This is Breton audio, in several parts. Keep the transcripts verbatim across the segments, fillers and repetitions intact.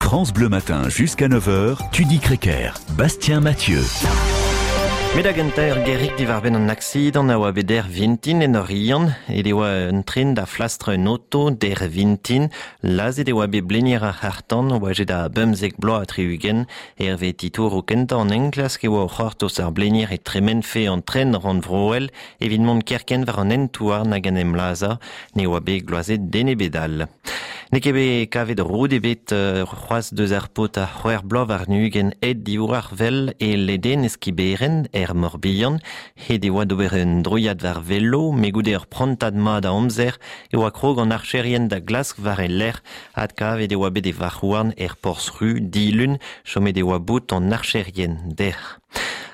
France Bleu Matin jusqu'à neuf heures, Tudi Crequer, Bastien Mathieu. Met da gentañ ur gerig diwar-benn an aksidant a oa bet dec'h vintin en Oriant, et e oa un tren da flastr un auto dec'h vintin, lazhet e oa bet blenier ar c'harr-tan oajet a bemzek bloaz ha tri-ugent, hervez titouroù kentañ an enklask e oa o c'hortoz ar blenier e tremenfe an tren rannvroel evit mont kerkent war an hent-houarn hag en em lazhañ, ne oa bet gloazet den ebet all. N'eo ket bet kavet roud ebet euh, c'hoazh deus ar paotr a c'hwec'h bloaz warn-ugent aet diwar wel e ledenez Kiberen er Morbihan, het e oa d'ober un droiad war velo, met goude ur prantad mat a amzer e oa krog an archerien da glask war e lerc'h, adkavet e oa bet e varc'h-houarn er Porzh-Ru dilun, chomet e oa bout an archerien dec'h.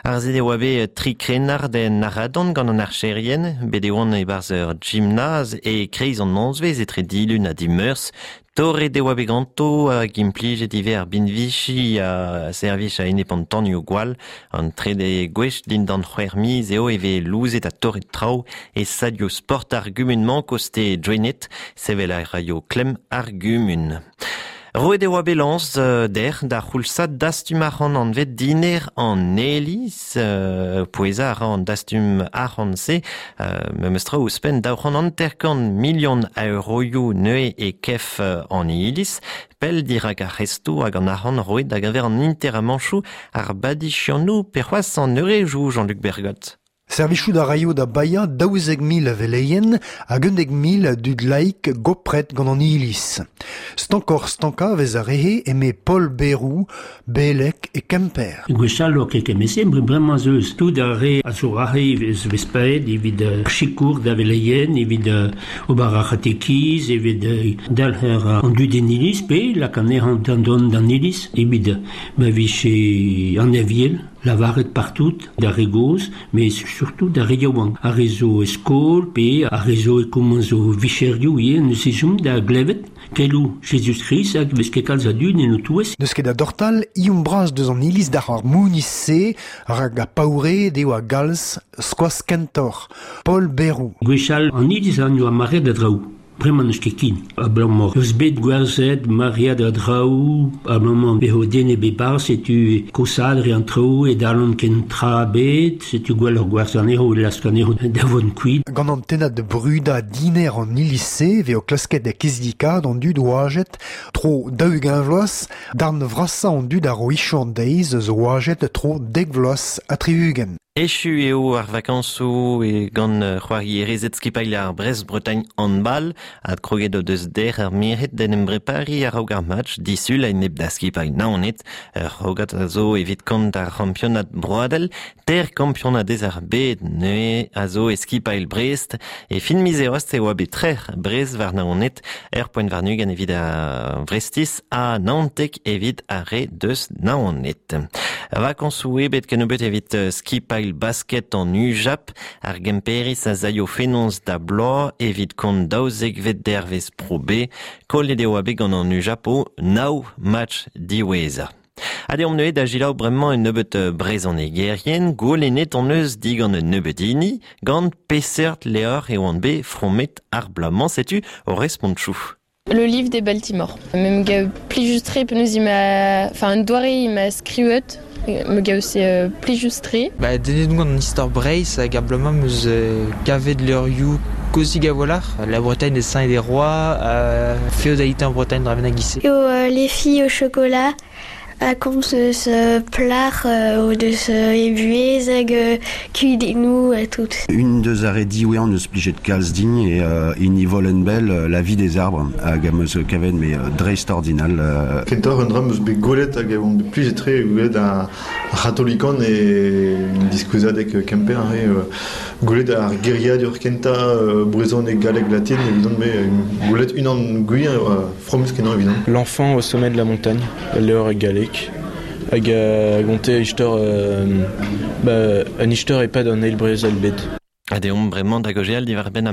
Harzet e oa bet tri krennard en Aradon gant an archerien, bet e oant e-barzh ur gymnase e kreiz an nozvezh etre dilun ha dimeurzh. Torret e oa bet ganto hag implijet ivez ar binviji a servij a-enep an tanioù gwall. An trede gwech dindan c'hwec'h miz eo e vez louzet ha torret traoù e salioù sport ar gumun-mañ koste Gwened, sevel a raio klemm ar gumun. Roet e oa bet lañs dec'h da c'houlzad dastum arc'hant anvet diner an Iliz, euh, pouezañ a ra an dastum arc'hant-se, euh, memes tra ouzhpenn daou c'hant hanter-kant milion a euroioù neuze e kef an Iliz, pell dirak ar c'hestoù hag an arc'hant roet da geñver an interamanchoù ar badiziantoù pe c'hoazh an eurejoù Jean-Luc Bergot. Servijout a raio da baeañ daouzek mil a veleien hag unnek mil a dud laik gopret gant an Iliz. Stankoc'h stankañ vez ar re-se eme Paul Berrou, beleg e Kemper. Gwechall oa ket kement-se, bremañ ez eus tout ar re a zo aze vez vez paeet evit sikour da veleien, evit ober ar c'hatekiz, evit dalc'her an dud en iliz, pe lak anezhañ d'an d'an iliz, evit ma vije an aviel, lavaret partout d'ar re gozh, mais surtout d'ar re yaouank. Ar re zo e skol, pe ar re zo e komañs o vicherioù ivez, neus ezhomm da glevet keloù Jezuz-Krist hag vez ket kalz a dud en o touez. N'eus ket da dortal, ioum bras deus an iliz d'ar ar mouniz-se, rak a paoure deo a galz skoaz kentoc'h. Paul Berrou. Gwechall an iliz an oa maread a draoù. Bremañ n'eus ket ken. Abalamour eus bet gwerzhet maread a draoù, abalamour bezo den ebet 'barzh, setu kosaat re an traoù e dalont ken tra ebet, setu gwelloc'h gwerzhañ anezho, lask anezho da vont kuit. Gant an tennad de brudañ diner an iliz-se vez o klasket da kizidikat an dud oajet tro daou-ugent vloaz, darn vrasañ an dud a ro ichou an deiz eus oajet tro dek vloaz ha tri-ugent. Echu eo ar vakañsoù e gant c'hoarierezed skipailh ar Brest-Bretagne handball, adkroget o deus dec'h ar merc'hed d'en em brepariñ a-raok ar match disul a-enep da skipailh Naoned, ur c'hrogad a zo evit kont ar c'hampionad broadel, ter kampionadez ar bed neuze a zo e skipailh Brest, e fin miz eost e oa bet trec'h Brest war Naoned, ur poent warn-ugent evit ar Brestiz ha naontek evit ar re deus Naoned. Vakañsoù ebet kennebeut evit skipailh basket an U J A P, ar Gemperiz a zaio fenoz da bloaz evit kont daouzekvet dervezh Pro B, kollet eo bet gant an U J A P o nav match diwezhañ. Ha deomp neuze da selaou bremañ un nebeut brezhonegerien, goulennet hon eus digant un nebeut hini, gant peseurt levr e oant bet fromet ar bloaz-mañ, setu o respontoù. Le livre des Baltimore. Me gav plijus-tre penaos emañ, enfin un doare emañ skrivet, me gav c'est plijus-tre. Ba dedennet on gant an istor Breizh hag ar bloaz-mañ 'm eus kavet levrioù kozhik a-walc'h, La Bretagne des saints et des rois, euh, Féodalité en Bretagne Draven Guissé. Eo euh, les filles au chocolat a komz eus plac'h o deus e buhez hag kudennoù ha tout. Unan deus ar re diwezhañ neus plijet kalz din eo euh, hini Volenbel, La vie des arbres, hag am eus kavet me dreist-ordinal. Euh... Kentoc'h un dra 'm eus bet gwelet hag on bet plijet-tre gwelet ar c'hatolikon e diskouezadeg Kemper e gwelet ar geriadur kentañ euh, brezhoneg galleg latin evidon me gwelet unan gwir euh, fromus kenañ evidon. L'enfant au sommet de la montagne, levr e galleg. Hag a gonte istor euh, ba, an istor e-pad an eil brezel bed. Ha deomp bremañ da gaozeal diwar-benn